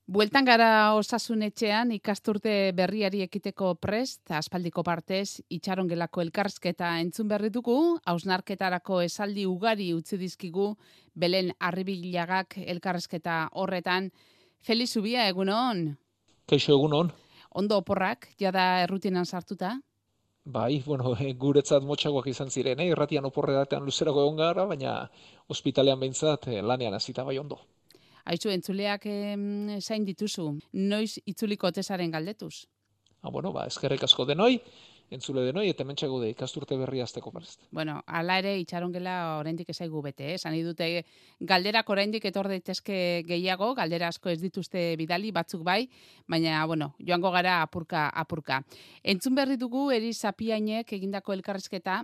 Bueltan gara Osasun Etxean ikasturte berriari ekiteko prest, aspaldiko partez itxarongelako elkarrizketa entzun berri dugu, hausnarketarako esaldi ugari utzi dizkigu Belen Arribilagak elkarrizketa horretan. Feliz Zubia, egunon? Kaixo egunon. Ondo oporrak, jada errutinan sartuta? Bai, bueno, guretzat motxagoak izan ziren, irratian oporredatean luzerako egon gara, baina ospitalean behintzat lanean hasita bai ondo. Aizu, entzuleak zain dituzu, noiz itzuliko otesaren galdetuz? Bueno, eskerrik asko denoi, entzule denoi, eta hementxe gaude ikasturte berria hasteko prest. Bueno, hala ere itxarongela oraindik ezaigu bete, Esan dute galderak oraindik etor daitezke gehiago, galdera asko ez dituzte bidali, batzuk bai, baina bueno, joango gara apurka. Entzun berri dugu Eri Zapiainek egindako elkarrizketa,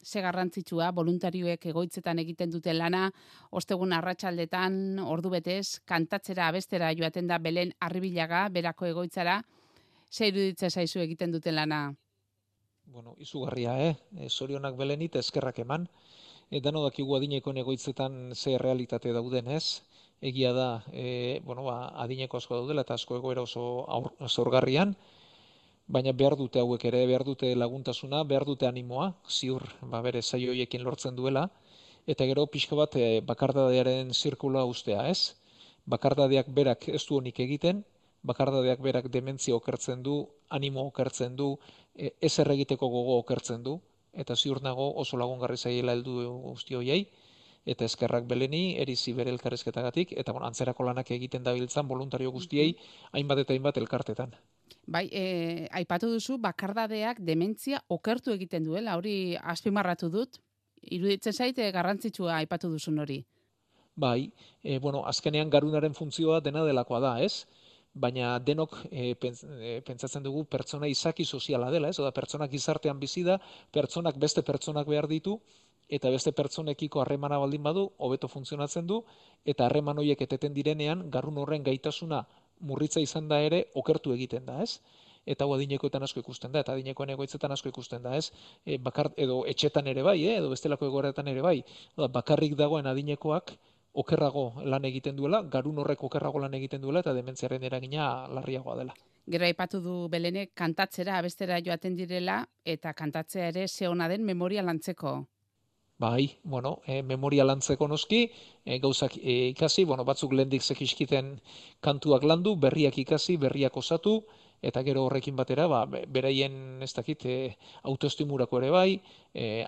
ze garrantzitsua, voluntarioek egoitzetan egiten duten lana, ostegun arratsaldetan ordu betez, kantatzera abestera joaten da Belen Arribilaga, berako egoitzara, ze iruditzen zaizu egiten duten lana? Bueno, izugarria, zorionak Belenit eskerrak eman. Dano dakigu adinekoen egoitzetan ze realitate dauden, ez? Egia da, adineko asko daudela eta asko egoera oso zaurgarrian, baina behar dute hauek ere, behar dute laguntasuna, behar dute animoa, ziur, bere zaio hoiekin lortzen duela, eta gero pixka bat bakardadearen zirkula ustea, ez? Bakardadeak berak ez du honik egiten, bakardadeak berak dementzia okertzen du, animo okertzen du, ez erregiteko gogo okertzen du, eta ziur nago oso lagungarri zaiela heldu guzti hoiei, eta eskerrak Beleni, Erizi bere elkarrizketagatik, eta antzerako lanak egiten dabiltzan voluntario guztiei, hainbat eta hainbat elkartetan. Bai, aipatu duzu bakardadeak dementzia okertu egiten duela, hori azpimarratu dut. Iruditzen zaite garrantzitsua aipatu duzun hori. Bai, azkenean garunaren funtzioa dena delakoa da, ez? Baina denok pentsatzen dugu pertsona izaki soziala dela, ez? Oda pertsonak gizartean bizi da, pertsonak beste pertsonak behar ditu, eta beste pertsonekiko harremana baldin badu, hobeto funtzionatzen du, eta harreman horiek eteten direnean, garun horren gaitasuna murritza izan da ere, okertu egiten da, ez? Eta hau adinekoetan asko ikusten da, eta adinekoen egoitzetan asko ikusten da, ez? Edo etxetan ere bai, edo bestelako egoeretan ere bai, bakarrik dagoen adinekoak, okerrago lan egiten duela, garun horrek okerrago lan egiten duela, eta dementziaren eragina larriagoa dela. Gero aipatu du Belenek kantatzera, abestera joaten direla, eta kantatzea ere ze ona den memoria lantzeko. Bai, memoria lantzeko noski, gauzak ikasi, batzuk lehendik zekiskiten kantuak landu, berriak ikasi, berriak osatu, eta gero horrekin batera, beraien ez dakit, autoestimurako ere bai,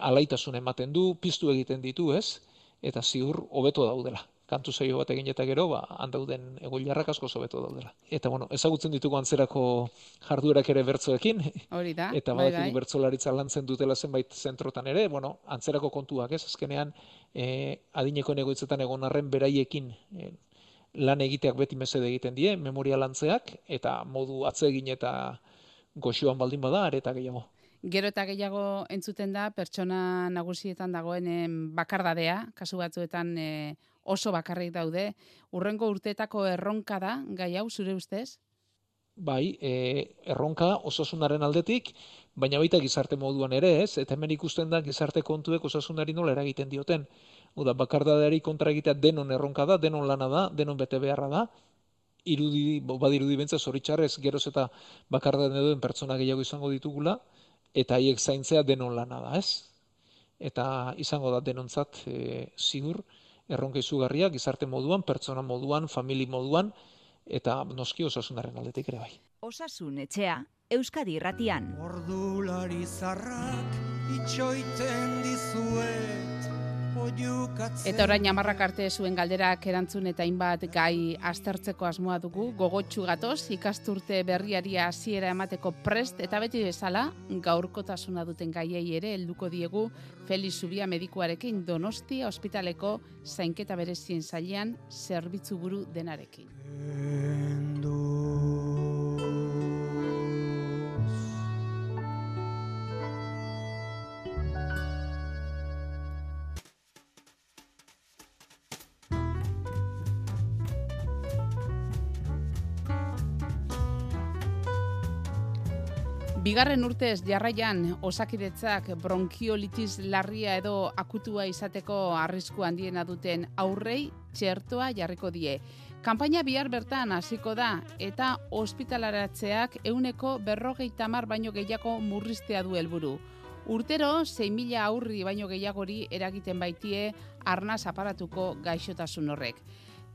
alaitasun ematen du, piztu egiten ditu, ez? Eta ziur hobeto daudela. Kantu saio bat egin eta gero, handauden egoilarrak asko hobeto daudela. Eta ezagutzen ditugu antzerako jarduerak ere bertsoekin. Hori da. Eta badakigu bertsolaritza lantzen dutela zenbait zentrotan ere, antzerako kontuak, ez? Azkenean adinekoen egoitzetan egon arren beraiekin lan egiteak beti mesede egiten die, memoria lantzeak, eta modu atsegin eta goxoan baldin bada, are eta gehiago. Gero eta gehiago entzuten da, pertsona nagusietan dagoen bakardadea, kasu batzuetan oso bakarrik daude. Urrengo urteetako erronka da, gai hau, zure ustez? Bai, erronka osasunaren aldetik, baina baita gizarte moduan ere, ez? Eta hemen ikusten da gizarte kontuek osasunari nola eragiten dioten. Oda, bakardadeari kontra egitea denon erronka da, denon lana da, denon bete beharra da. Badirudi bentsa zoritxarrez, geroz eta bakardade duen pertsona gehiago izango ditugula, eta haiek zaintzea denon lana da, ez? Eta izango da denontzat ziur, erronka izugarria, gizarte moduan, pertsona moduan, famili moduan, eta noski osasunaren aldetik ere bai. Osasun Etxea, Euskadi Irratian. Ordulari zarrak itxoiten dizuet. Eta orain hamarrak arte zuen galderak erantzun eta hainbat gai aztertzeko asmoa dugu, gogotsu gatoz, ikasturte berriari hasiera emateko prest, eta beti bezala, gaurkotasuna duten gaiei ere helduko diegu Feliz Zubia medikuarekin Donostia ospitaleko zainketa berezien sailean zerbitzu buru denarekin. Bigarren urtez jarraian Osakidetzak bronkiolitis larria edo akutua izateko arrisku handiena duten aurrei txertoa jarriko die. Kanpaina bihar bertan hasiko da eta ospitalaratzeak 50% baino gehiago murriztea du helburu. Urtero 6.000 aurri baino gehiagori eragiten baitie arnaz aparatuko gaixotasun horrek.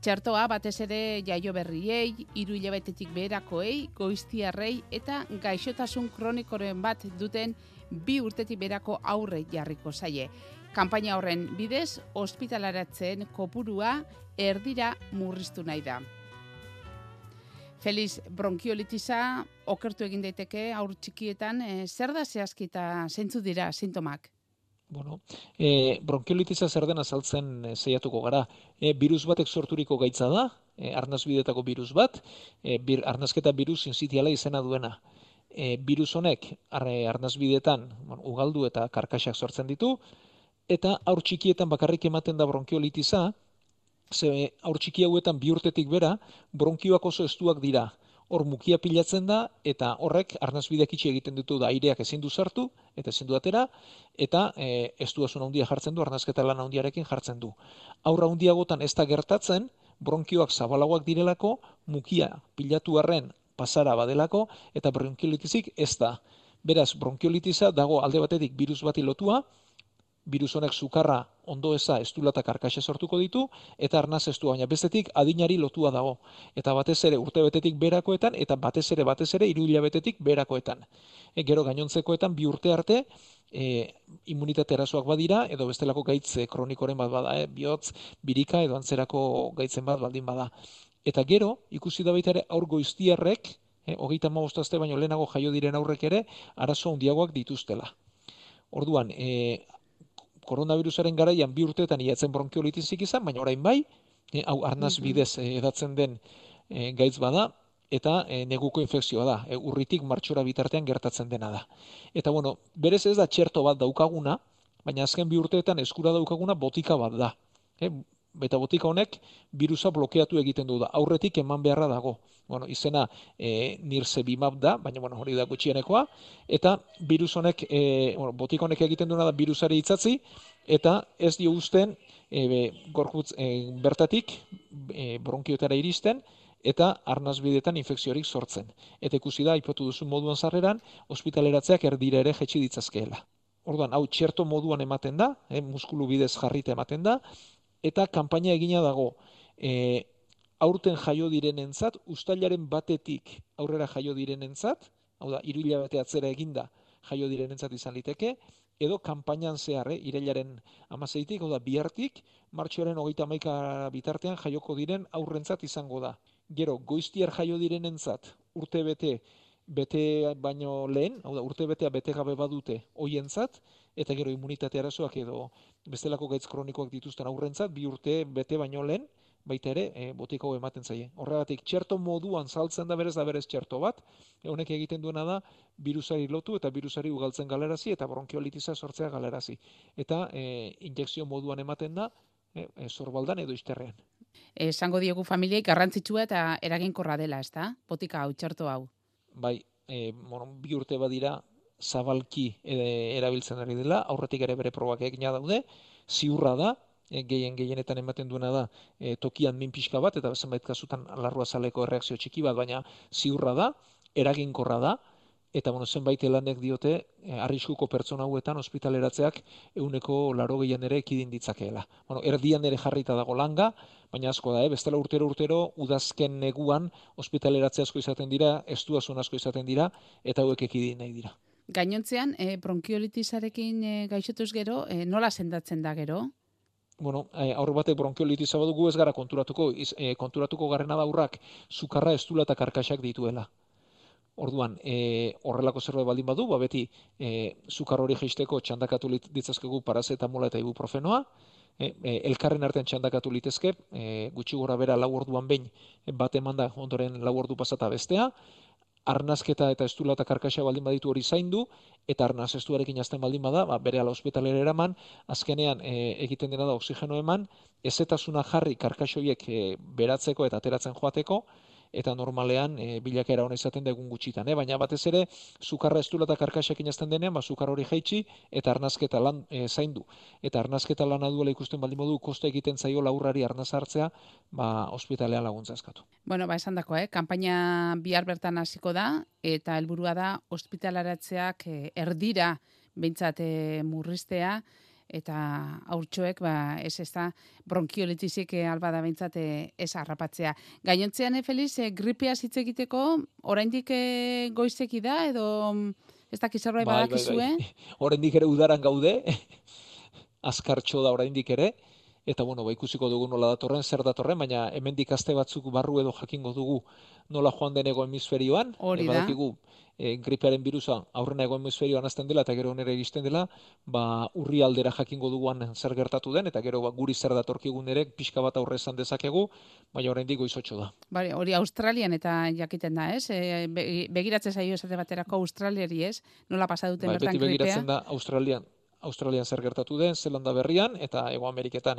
Txertoa batez ere jaio berriei, 3 hilabetetik beherakoei, goiztiarrei eta gaixotasun kronikoren bat duten 2 urtetik beherako aurre jarriko zaie. Kanpaina horren bidez, ospitalaratzen kopurua erdira murriztu nahi da. Felix, bronkiolitisa okertu egin daiteke haur txikietan, zer da zehazki eta zeintzu dira sintomak? Bueno, bronkiolitisa zer den azaltzen saiatuko gara. Birus batek sorturiko gaitza da, arnasbidetako birus bat, arnasketa birus sincitiala izena duena. Birus honek arnasbidetan ugaldu eta karkaxak sortzen ditu, eta haur txikietan bakarrik ematen da bronkiolitisa, ze haur txiki hauetan 2 urtetik bera, bronkioak oso estuak dira. Hor mukia pilatzen da, eta horrek arnasbideak itxi egiten ditu da aireak ezin du sartu, eta ezin du atera, eta estuasun handia jartzen du, arnasketa lan handiarekin jartzen du. Haur handiagotan ez da gertatzen, bronkioak zabalagoak direlako, mukia pilatu arren pasara badelako, eta bronkiolitizik ez da. Beraz, bronkiolitisa dago alde batetik birus bati lotua, birus honek sukarra ondo eza estula eta karkaxa sortuko ditu, eta arnaz estua, baina bestetik adinari lotua dago. Eta batez ere urtebetetik berakoetan, eta batez ere 3 hilabetetik berakoetan. Gero gainontzekoetan 2 urte arte, immunitate erasoak badira, edo bestelako gaitze kronikoren bat bada, bihotz, birika edo antzerako gaitzen bat baldin bada. Eta gero, ikusi da baita ere aur goiztiarrek, 35 aste baino lehenago jaio diren aurrek ere, arazo handiagoak dituztela. Orduan, koronavirusaren garaian 2 urteetan iatzen bronkiolitizik izan, baina orain bai, hau arnaz bidez edatzen den gaitz bada, eta neguko infekzioa da, urritik martxora bitartean gertatzen dena da. Eta bueno, berez ez da txerto bat daukaguna, baina azken 2 urteetan eskura daukaguna botika bat da. Eta botika honek birusa blokeatu egiten du da, aurretik eman beharra dago. Bueno, izena nirsevimab da, baina hori da gutxienekoa, eta virus honek, botika honek egiten duena da birusari itzatzi, eta ez dio uzten gorputz bertatik bronkioetara iristen, eta arnasbidetan infekziorik sortzen. Eta ikusi da, aipatu duzun moduan sarreran, ospitaleratzeak erdira ere jetxi ditzazkeela. Orduan, hau txerto moduan ematen da, muskulu bidez jarrita ematen da, eta kanpaina egina dago, aurten jaio direnentzat, uztailaren batetik aurrera jaio direnentzat, hau da, 3 hilabete atzera eginda jaio direnentzat izan liteke, edo kanpainan zehar, irailaren 16tik, hau da, bihartik, martxoaren 31 bitartean jaioko diren aurrentzat izango da. Gero, goiztiar jaio direnentzat, urte bete baino lehen, hau da, urte betea bete gabe badute hoientzat, eta gero immunitate arazoak edo bestelako gaitz kronikoak dituzten aurrentzat, 2 urte bete baino lehen, baita ere, botika hau ematen zaie. Horregatik, txerto moduan saltzen da berez txerto bat, honek egiten duena da, birusari lotu eta birusari ugaltzen galerazi, eta bronkiolitisa sortzea galerazi. Eta injekzio moduan ematen da, sorbaldan edo izterrean. Esango diegu familiei garrantzitsua eta eraginkorra dela, ezta? Botika hau, txerto hau. Bai, 2 urte badira zabalki erabiltzen ari dela, aurretik ere bere probak egina daude, ziurra da, gehienetan ematen duena da tokian min pixka bat, eta zenbait kasutan larruazaleko erreakzio txiki bat, baina ziurra da, eraginkorra da, eta zenbait lanek diote arriskuko pertsona hauetan ospitaleratzeak 80% ere ekidin ditzakeela. Erdian ere jarrita dago langa, baina asko da, bestela urtero udazken neguan ospitaleratze asko izaten dira, estuasun asko izaten dira, eta hauek ekidin nahi dira. Gainontzean, bronkiolitisarekin gaixotuz gero, nola sendatzen da gero? Aurre batek bronkiolitisa badugu ez gara konturatuko garrena da aurrak sukarra, estula eta karkaxak dituela. Orduan, horrelako zerbait baldin badu, beti sukar hori jaisteko txandakatu ditzazkegu parazetamola eta ibuprofenoa, elkarren artean txandakatu litezke, gutxi gora bera 4 orduan behin bat emanda ondoren 4 ordu pasata bestea, arnazketa eta estula eta karkaxa baldin baditu hori zaindu, eta arnaz estuarekin azten baldin bada, bere ala ospitalera eraman, azkenean egiten dena da oksigeno eman, ezetasuna jarri karkaxoiek beratzeko eta ateratzen joateko, eta normalean bilakaera ona izaten da egun gutxitan, baina batez ere sukarra estula eta karkasekin azten denean, sukar hori jaitsi eta arnazketa lan zaindu. Eta arnazketa lana duela ikusten baldin modu kosta egiten zaio laurrari arnaz hartzea, ospitalean laguntza eskatu. Bueno, esan dako, kanpaina bihar bertan hasiko da, eta helburua da ospitalaratzeak erdira behintzat murriztea, eta haurtxoek, ez da, bronkiolitizik albada behintzat ez harrapatzea. Gainontzean, Feliz, gripea hitz egiteko, oraindik goizeki da, edo ez dakiz zerbait badakizue? Oraindik ere udaran gaude, azkartxo da oraindik ere, eta ikusiko dugu nola datorren, zer datorren, baina hemendik aste batzuk barru edo jakingo dugu nola joan denego hemisferioan. Hori da. Badakigu gripearen birusa aurrena ego hemisferioan hasten dela eta gero onera iristen dela, urri aldera jakingo duguan zer gertatu den, eta gero guri zer datorkigun ere pixka bat aurre esan dezakegu, baina oraindik goizotxo da. Hori Australian eta jakiten da, ez? Begiratzen zaio esate baterako Australiari, ez? Nola pasa duten bertan gripea? Beti begiratzen da Australian zer gertatu den, Zelanda berrian, eta Hego Ameriketan,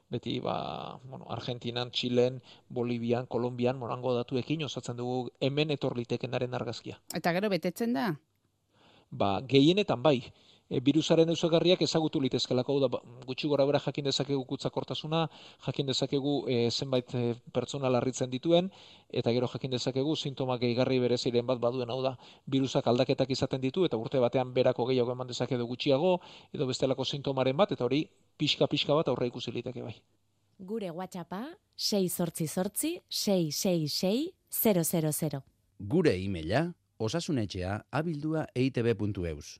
beti Argentinan, Txilen, Bolivian, Kolombian, hango datuekin osatzen dugu hemen etor litekenaren argazkia. Eta gero betetzen da? Gehienetan bai. Birusaren ezaugarriak ezagutu litezkelako, gutxi gora bera jakin dezakegu kutsakortasuna, jakin dezakegu zenbait pertsona larritzen dituen, eta gero jakin dezakegu sintomak gehigarri bereziren bat baduen, hau da, birusak aldaketak izaten ditu, eta urte batean berako gehiago eman dezakedu gutxiago, edo bestelako sintomaren bat, eta hori pixka bat aurre ikusi liteke bai. Gure WhatsAppa 688 666 000. Gure e-maila osasunetxea@eitb.eus.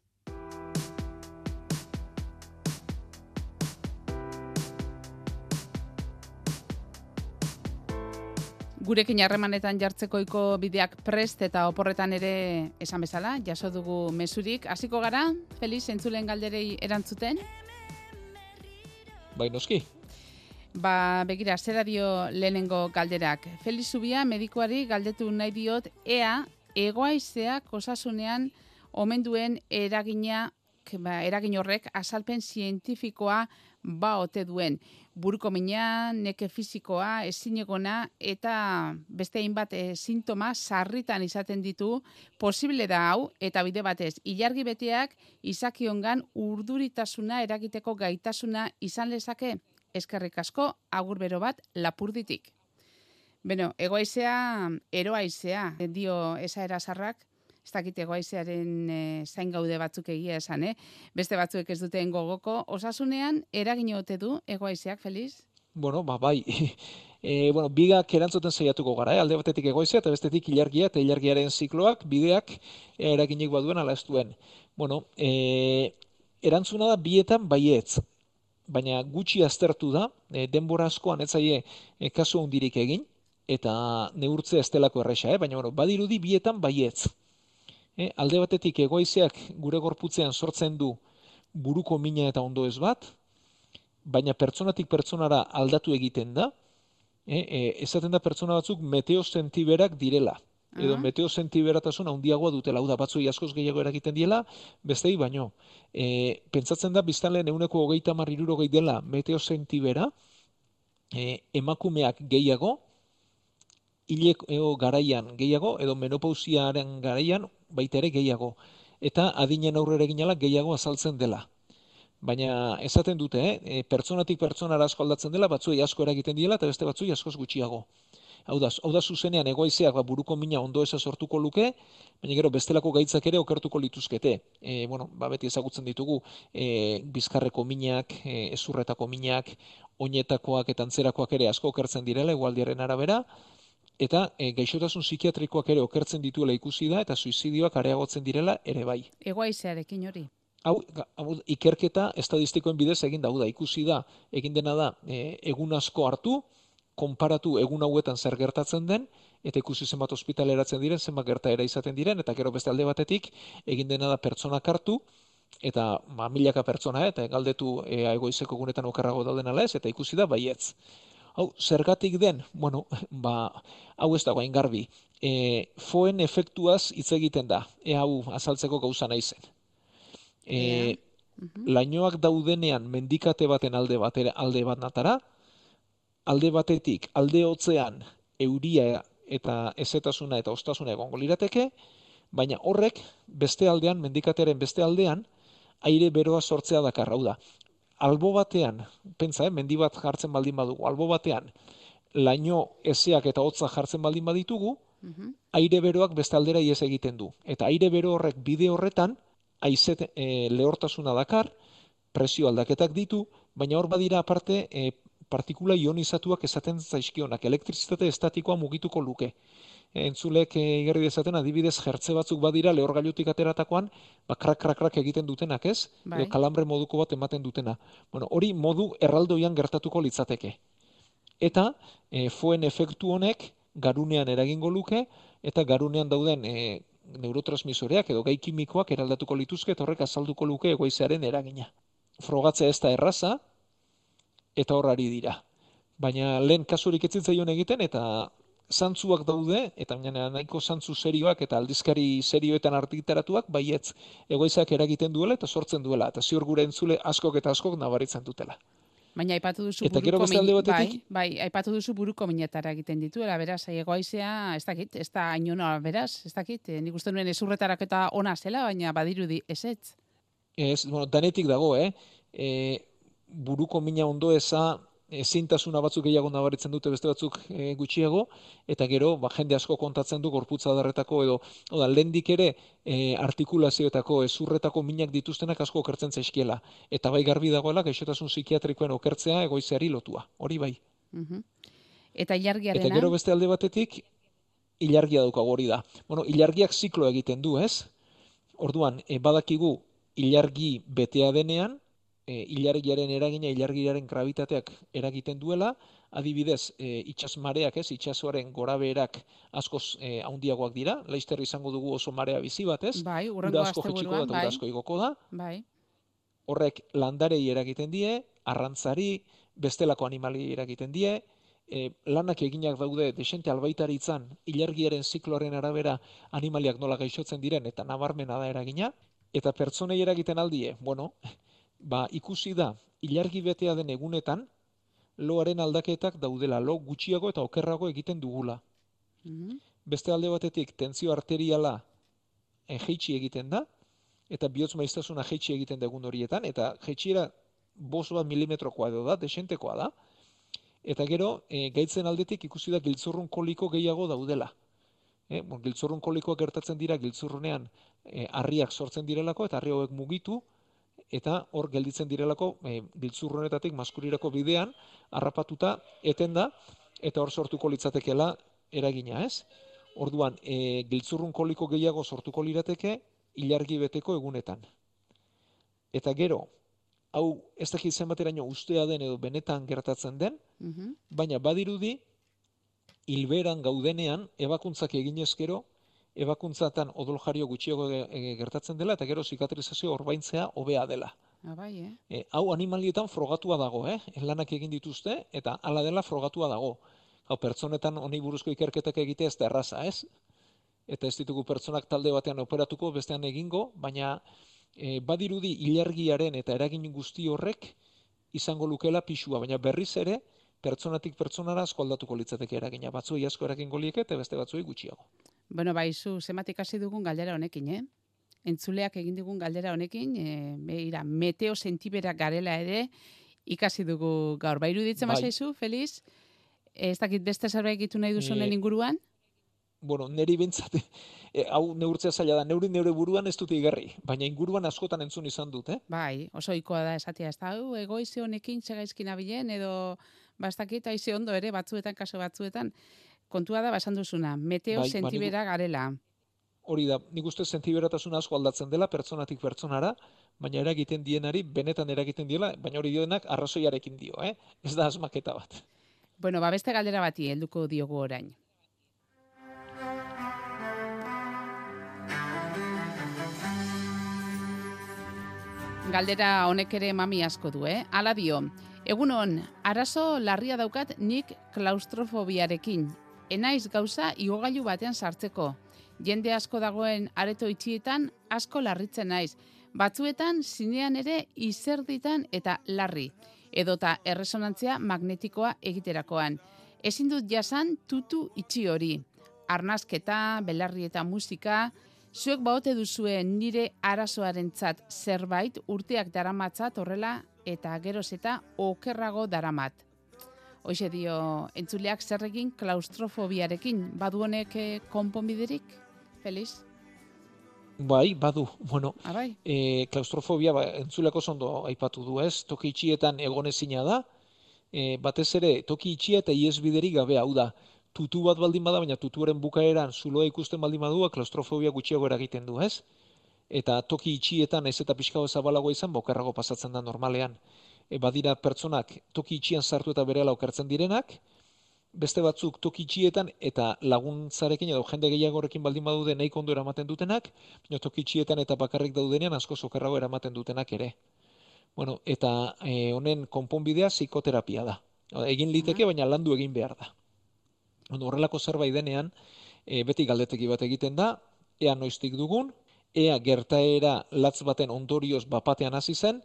Gurekin harremanetan jartzekoiko bideak prest eta oporretan ere esan bezala, jaso dugu mezurik. Hasiko gara, Feliz, entzulen galderei erantzuten? Bai, noski. Begira, zera dio lehenengo galderak. Feliz Zubia, medikuari galdetu nahi diot, ea egoaizeak osasunean omen duen eragin horrek azalpen zientifikoa ote duen. Buruko mina, neke fisikoa, ezinegona eta beste hainbat sintoma sarritan izaten ditu, posible da hau, eta bide batez, ilargi beteak izakiongan urduritasuna eragiteko gaitasuna izan lezake, eskerrik asko, agur bero bat Lapurditik. Beno, egoaizea, eroaizea, dio esaera zarrak, ez dakit egoaizearen zain gaude batzuk egia esan, beste batzuek ez duten gogoko. Osasunean, eragin ote du egoaizeak, Feliz? Bai. Bigak erantzuten saiatuko gara, alde batetik egoaizea eta bestetik ilargia eta ilargiaren zikloak, bideak eraginik baduen ala ez duen. Erantzuna da bietan baietz, baina gutxi aztertu da, denbora askoan ez zaie kasu hundirik egin, eta neurtzea ez delako erresa, baina badirudi bietan baietz. Alde batetik egoaizeak gure gorputzean sortzen du buruko mina eta ondoez bat, baina pertsonatik pertsonara aldatu egiten da, esaten da pertsona batzuk meteosentiberak direla, edo meteosentiberatasun handiagoa dutela, hau da batzui askoz gehiago eragiten diela, bestei baino. Pentsatzen da biztanleen 130-160 dela meteosentibera, emakumeak gehiago, hileko garaian gehiago, edo menopausiaren garaian baita ere gehiago. Eta adinen aurrera eginala gehiago azaltzen dela. Baina esaten dute, pertsonatik pertsonara asko aldatzen dela, batzuei asko eragiten diela, eta beste batzuei askoz gutxiago. Hau da zuzenean egoaizeak buruko mina ondo eza sortuko luke, baina gero bestelako gaitzak ere okertuko lituzkete. Beti ezagutzen ditugu bizkarreko minak, ezurretako minak, oinetakoak eta antzerakoak ere asko okertzen direla, egualdiaren arabera, eta gaixotasun psikiatrikoak ere okertzen dituela ikusi da, eta suizidioak areagotzen direla ere bai. Egoaizearekin hori? Hau, ikerketa estadistikoen bidez egin da, ikusi da, egin dena da, egun asko hartu, konparatu egun hauetan zer gertatzen den, eta ikusi zenbat ospitaleratzen diren, zenbat gertaera izaten diren, eta gero beste alde batetik, egin dena da pertsonak hartu, eta milaka pertsona, eta galdetu egoizeko gunetan okerrago dauden ala ez, eta ikusi da baietz. Hau, zergatik den, hau ez dago hain garbi, foen efektuaz hitz egiten da, hau azaltzeko gauza naizen. Lainoak daudenean mendikate baten alde bat natara, alde batetik, alde hotzean euria eta ezetasuna eta ostasuna egongo lirateke, baina horrek beste aldean, mendikatearen beste aldean, aire beroa sortzea dakar, hau da. Albo batean, pentsa, mendi bat jartzen baldin badugu, albo batean, laino ezeak eta hotza jartzen baldin baditugu, aire beroak beste aldera ies egiten du. Eta aire bero horrek bide horretan, haizet lehortasuna dakar, presio aldaketak ditu, baina hor badira aparte partikula ionizatuak esaten zaizkionak, elektrizitate estatikoa mugituko luke. Entzulek igarri dezaten, adibidez, jertze batzuk badira lehorgailutik ateratakoan, krak egiten dutenak, ez? Bai. Edo kalambre moduko bat ematen dutena. Bueno, hori modu erraldoian gertatuko litzateke. Eta foen efektu honek garunean eragingo luke, eta garunean dauden neurotransmisoreak edo gai kimikoak eraldatuko lituzke, eta horrek azalduko luke egoizearen eragina. Frogatzea ez da erraza, eta horrari dira. Baina lehen kasurik ez zitzaion egiten, eta zantzuak daude, eta nahiko zantzu serioak eta aldizkari serioetan argitaratuak, baietz egoizak eragiten duela eta sortzen duela, eta ziur gure entzule askok eta askok nabaritzen dutela. Baina aipatu duzu Eta gero beste alde batetik, bai, aipatu duzu buruko minetara egiten dituela, beraz, egoaizea, ez dakit, ez da ainona, beraz, ez dakit, nik uste nuen ezurretarak eta ona zela, baina badirudi ezetz. Ez, bueno, danetik dago, buruko mina ondo eza, ezintasuna batzuk gehiago nabaritzen dute beste batzuk gutxiago, eta gero jende asko kontatzen du gorputza adarretako edo lehendik ere artikulazioetako ezurretako minak dituztenak asko okertzen zaizkiela. Eta bai garbi dagoela gaixotasun psikiatrikoen okertzea egoizeari lotua. Hori bai. Eta ilargiarena? Eta gero beste alde batetik ilargia daukagu hori da. Bueno, ilargiak ziklo egiten du, ez? Orduan, badakigu ilargi betea denean, ilargiaren eragina, ilargiaren grabitateak eragiten duela, adibidez, itsas mareak, ez, itsasoaren gorabeherak askoz handiagoak dira, laizter izango dugu oso marea bizi bat, ez? Bai, urrengo asteburuan, bai. Ura asko igoko da. Bai. Horrek landarei eragiten die, arrantzari, bestelako animali eragiten die, lanak eginak daude desente albaitaritzan, ilargiaren zikloaren arabera animaliak nola gaixotzen diren, eta nabarmena da eragina, eta pertsonei eragiten aldie, bueno, ikusi da, ilargi betea den egunetan, loaren aldaketak daudela, lo gutxiago eta okerrago egiten dugula. Beste alde batetik, tentzio arteriala jeitsi egiten da, eta bihotz maiztasuna jeitsi egiten da egun horietan, eta jeitsiera 5 milimetrokoa edo da, desentekoa da, eta gero, gaitzen aldetik ikusi da giltzurrun koliko gehiago daudela. Giltzurrun kolikoak gertatzen dira giltzurrunean harriak sortzen direlako, eta harri hauek mugitu, eta hor gelditzen direlako giltzurrunetatik maskurirako bidean harrapatuta eten da, eta hor sortuko litzatekeela eragina, ez? Orduan, giltzurrun koliko gehiago sortuko lirateke ilargi beteko egunetan. Eta gero, hau ez dakit zenbateraino ustea den edo benetan gertatzen den, baina badirudi hilberan gaudenean ebakuntzak eginezkero, ebakuntzatan odoljario gutxiago gertatzen dela, eta gero zikatrizazio orbaintzea hobea dela. Bai, Hau animalietan frogatua dago, lanak egin dituzte, eta hala dela frogatua dago. Hau, pertsonetan honi buruzko ikerketak egite ez da erraza, ez? Eta ez ditugu pertsonak talde batean operatuko, bestean egingo, baina badirudi ilargiaren eta eragin guzti horrek izango lukela pixua, baina berriz ere, pertsonatik pertsonara asko aldatuko litzateke eragina. Batzuei asko eragingo lieke eta beste batzuei gutxiago. Bueno, zu zematik hasi dugun galdera honekin, Entzuleak egin digun galdera honekin, meteo sentiberak garela ere ikasi dugu gaur. Iruditzen bazaizu, Feliz? Ez dakit beste zerbait egitu nahi duzunen inguruan? Bueno, neri bentsat, hau neurtzea zaila da, neure buruan ez dute igarri, baina inguruan askotan entzun izan dut, Bai, oso ohikoa da esatea, ez da, egoize honekin txagaizkin abilen, edo bastakit aize ondo ere, batzuetan, kaso batzuetan, kontua da basan duzuna, meteo sentibera garela. Hori da, nik uste sentiberatasun asko aldatzen dela, pertsonatik pertsonara, baina eragiten dienari, benetan eragiten diela, baina hori dioenak arrazoiarekin dio, ez da asmaketa bat. Bueno, beste galdera bati helduko diogu orain. Galdera honek ere mami asko du, Hala dio, egunon, arazo larria daukat nik klaustrofobiarekin. Enaiz gauza igogailu batean sartzeko. Jende asko dagoen areto itxietan asko larritzen naiz. Batzuetan zinean ere izerditan eta larri. Edota erresonantzia magnetikoa egiterakoan. Ezin dut jasan tutu itxi hori. arnasketa, belarri eta musika, zuek baote duzuen nire arazoarentzat zerbait urteak daramatzat horrela eta geroz eta okerrago daramat. Hoxe dio, entzuleak zer egin klaustrofobiarekin, badu honek konponbiderik, Feliz? Bai, badu, bueno, Bai. klaustrofobia entzuleko ondo aipatu du, ez? Toki itxietan egonezina da, batez ere toki itxia eta ihesbiderik gabe, hau da, tutu bat baldin bada, baina tutuaren bukaeran zuloa ikusten baldin badua, klaustrofobia gutxiago eragiten du, ez? Eta toki itxietan ez eta pixka bat zabalagoa izan, okerrago pasatzen da normalean. Badira pertsonak toki itxian sartu eta berehala okertzen direnak, beste batzuk toki itxietan eta laguntzarekin edo jende gehiagorekin baldin badude nahiko ondo eramaten dutenak, baina toki itxietan eta bakarrik daudenean askoz okerrago eramaten dutenak ere. Bueno, eta honen konponbidea psikoterapia da. Egin liteke, baina landu egin behar da. Horrelako zerbait denean, beti galdeteki bat egiten da, ea noiztik dugun, ea gertaera latz baten ondorioz bapatean hasi zen,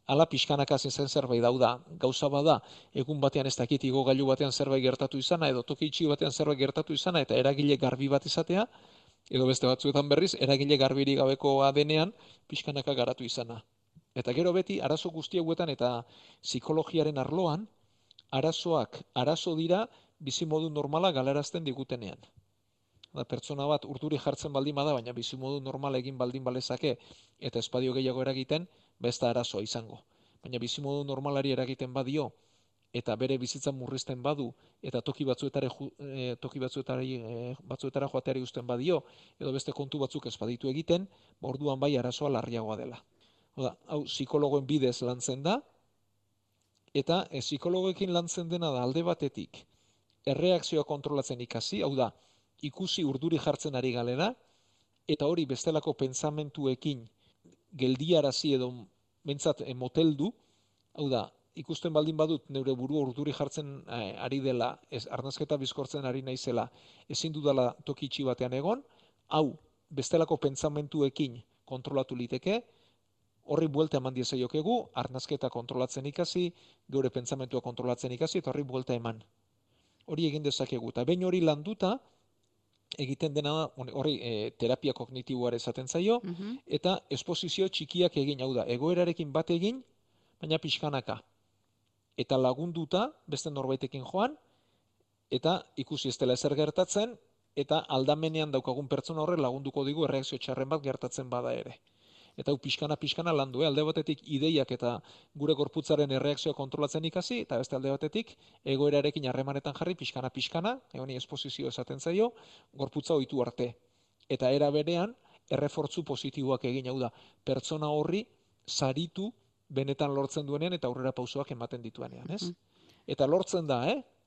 ala pixkanaka hasi zen zerbait da, gauza bada, egun batean ez dakit igogailu batean zerbait gertatu izana, edo toki itxi batean zerbait gertatu izana, eta eragile garbi bat izatea, edo beste batzuetan berriz, eragile garbirik gabekoa denean, pixkanaka garatu izana. Eta gero beti, arazo guzti hauetan eta psikologiaren arloan, arazoak arazo dira bizimodu normala galarazten digutenean. Pertsona bat urduri jartzen baldin bada, baina bizimodu normala egin baldin balezake eta espadio gehiago eragiten, besta arazoa izango. Baina bizimodu normalari eragiten badio eta bere bizitza murrizten badu eta toki batzuetara joateari uzten badio edo beste kontu batzuk ez baditu egiten, orduan bai arazoa larriagoa dela. Hau psikologoen bidez lantzen da, eta psikologoekin lantzen dena da alde batetik erreakzioa kontrolatzen ikasi, hau da, ikusi urduri jartzen ari galera, eta hori bestelako pentsamentuekin geldiarazi edo bentsat moteldu, hau da, ikusten baldin badut neure burua urduri jartzen ari dela, arnasketa bizkortzen ari naizela, ezin dudala toki itxi batean egon, hau bestelako pentsamentuekin kontrolatu liteke, horri buelta eman diezaiokegu, arnasketa kontrolatzen ikasi, geure pentsamentua kontrolatzen ikasi, eta horri buelta eman. Hori egin dezakegu, eta behin hori landuta, egiten dena da, horri terapia kognitiboare esaten zaio, eta esposizio txikiak egin, hau da, egoerarekin bat egin, baina pixkanaka. Eta lagunduta, beste norbaitekin joan, eta ikusi ez dela ezer gertatzen, eta aldamenean daukagun pertsona horre lagunduko digu erreakzio txarren bat gertatzen bada ere. Eta hau pixkana landu, alde batetik ideiak eta gure gorputzaren erreakzioa kontrolatzen ikasi, eta beste alde batetik egoerarekin harremanetan jarri pixkana, honi esposizio esaten zaio, gorputza ohitu arte. Eta era berean, errefortzu positiboak egin, hau da, pertsona horri saritu benetan lortzen duenean eta aurrera pausoak ematen dituenean, ez? Eta lortzen da,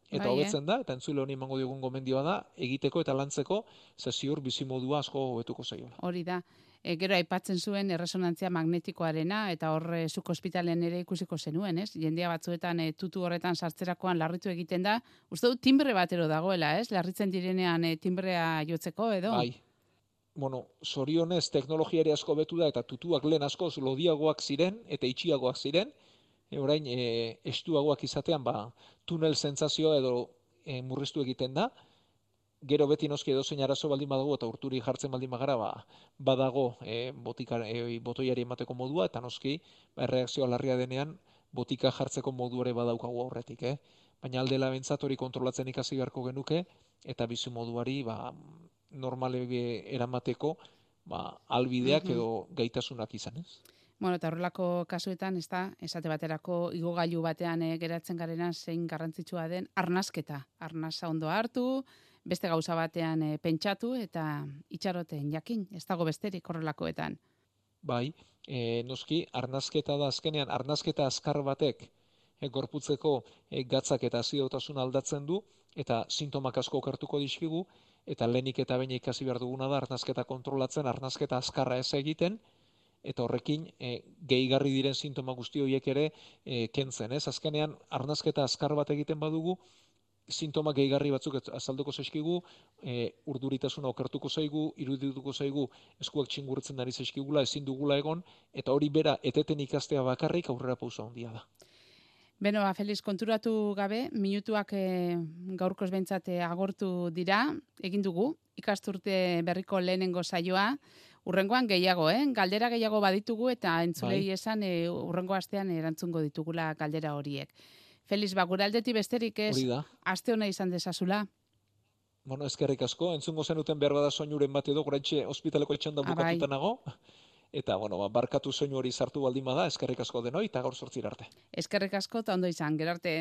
eta hobetzen da, eta entzule honi emango diogun gomendioa da, egiteko eta lantzeko, ze ziur bizimodua asko hobetuko zaiola. Hori da. Gero aipatzen zuen erresonantzia magnetikoarena eta hor zuk ospitalean ere ikusiko zenuen, ez? Jendea batzuetan tutu horretan sartzerakoan larritu egiten da. Uste dut timbre batero dagoela, ez? Larritzen direnean timbrea jotzeko edo? Bai. Bueno, zorionez teknologiari asko betu da eta tutuak lehen askoz lodiagoak ziren eta itxiagoak ziren. Orain estuagoak izatean tunel sentsazioa edo murriztu egiten da. Gero beti noski edozein arazo baldin badago eta urturi jartzen baldin bagara badago botoiari emateko modua eta noski erreakzioa larria denean botika jartzeko modu ere badaukagu aurretik. Baina aldela bentsat hori kontrolatzen ikasi beharko genuke eta bizimoduari normale eramateko albideak edo gaitasunak izan, ez? Bueno, eta horrelako kasuetan, ez da, esate baterako igogailu batean geratzen garena zein garrantzitsua den arnasketa. Arnasa ondo hartu, beste gauza batean pentsatu eta itxaroten jakin, ez dago besterik horrelakoetan. Bai, noski, arnasketa da azkenean, arnasketa azkar batek gorputzeko gatzak eta azidotasuna aldatzen du, eta sintomak asko okertuko dizkigu, eta lehenik eta behin ikasi behar duguna da arnasketa kontrolatzen, arnasketa azkarra ez egiten, eta horrekin gehigarri diren sintoma guzti horiek ere kentzen, ez? Azkenean, arnasketa azkar bat egiten badugu, sintoma gehigarri batzuk azalduko zaizkigu, urduritasuna okertuko zaigu, irudituko zaigu, eskuak txingurtzen ari zaizkigula, ezin dugula egon, eta hori bera eteten ikastea bakarrik aurrera pauso handia da. Beno, Feliz, konturatu gabe, minutuak gaurkoz behintzat agortu dira, egin dugu, ikasturte berriko lehenengo saioa, urrengoan gehiago, galdera gehiago baditugu eta entzulei esan urrengo astean erantzungo ditugula galdera horiek. Feliz, gure aldetik besterik ez, aste hona izan dezazula. Bueno, eskerrik asko, entzungo zenuten behar bada soinuren bat edo, oraintxe ospitaleko etxanda bukatuta nago. Eta, barkatu soinu hori sartu baldin bada, eskerrik asko denoi, eta gaur 8 arte. Eskerrik asko, eta ondo izan, gero arte.